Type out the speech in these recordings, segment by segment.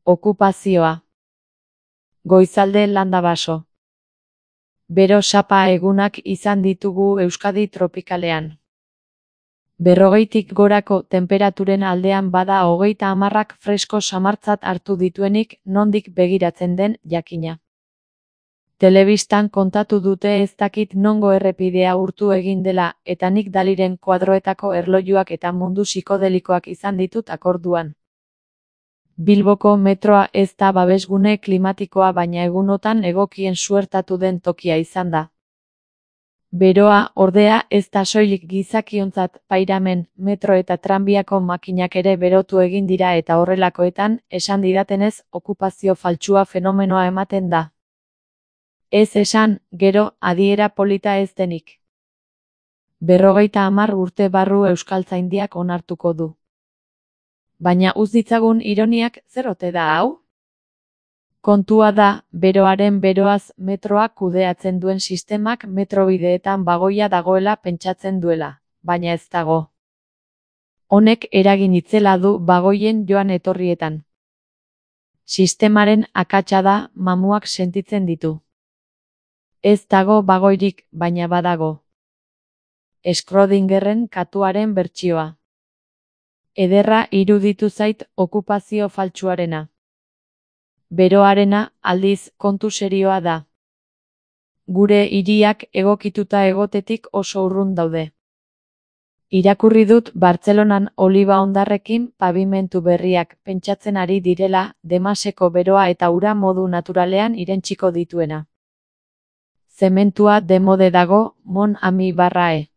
Okupazioa. Goizalde Landabaso. Bero sapa egunak izan ditugu Euskadi tropikalean. 40tik gorako tenperaturen aldean bada 30ak fresko samartzat hartu dituenik nondik begiratzen den jakina. Telebistan kontatu dute ez dakit nongo errepidea urtu egin dela eta nik Daliren koadroetako erlojuak eta mundu psikodelikoak izan ditut akorduan. Bilboko metroa ez da babesgune klimatikoa baina egunotan egokien suertatu den tokia izan da. Beroa, ordea, ez da soilik gizakiontzat pairamen, metro eta tranbiako makinak ere berotu egin dira eta horrelakoetan, esan didatenez, okupazio faltsua fenomenoa ematen da. Ez esan, gero, adiera polita ez denik. 50 urte barru Euskaltzaindiak onartuko du. Baina uz ditzagun ironiak zer ote da hau? Kontua da, beroaren beroaz metroak kudeatzen duen sistemak metrobideetan bagoia dagoela pentsatzen duela, baina ez dago. Honek eragin itzela du bagoien joan etorrietan. Sistemaren akatsa da, mamuak sentitzen ditu. Ez dago bagoirik, baina badago. Schrödingerren katuaren bertsioa. Ederra iruditu zait okupazio faltsuarena. Beroarena, aldiz, kontu serioa da. Gure hiriak egokituta egotetik oso urrun daude. Irakurri dut Bartzelonan oliba hondarrekin pabimentu berriak pentsatzen ari direla Demaseko beroa eta ura modu naturalean irentsiko dituena. Zementua demode dago, mon ami barrae.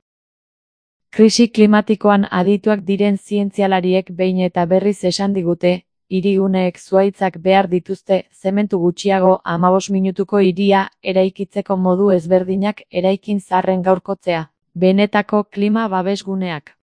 Krisi klimatikoan adituak diren zientzialariek behin eta berriz esan digute, hiriguneek zuhaitzak behar dituzte, zementu gutxiago 15 minutuko hiria eraikitzeko modu ezberdinak eraikin zaharren gaurkotzea, benetako klima babesguneak.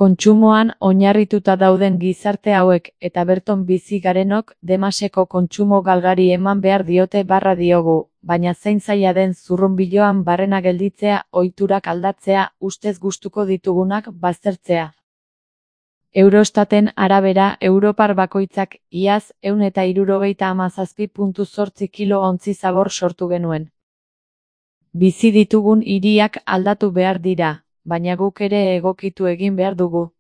Kontsumoan oinarrituta dauden gizarte hauek eta berton bizi garenok Demaseko kontsumo galgari eman behar diote barra diogu, baina zein zaila den zurrunbiloan barrena gelditzea, ohiturak aldatzea, ustez gustuko ditugunak baztertzea. Eurostaten arabera Europar bakoitzak iaz 177,8 kilo ontzi zabor sortu genuen. Bizi ditugun hiriak aldatu behar dira, baina guk ere egokitu egin behar dugu.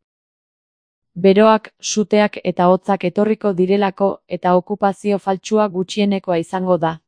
Beroak, suteak eta hotzak etorriko direlako eta okupazio faltsua gutxienekoa izango da.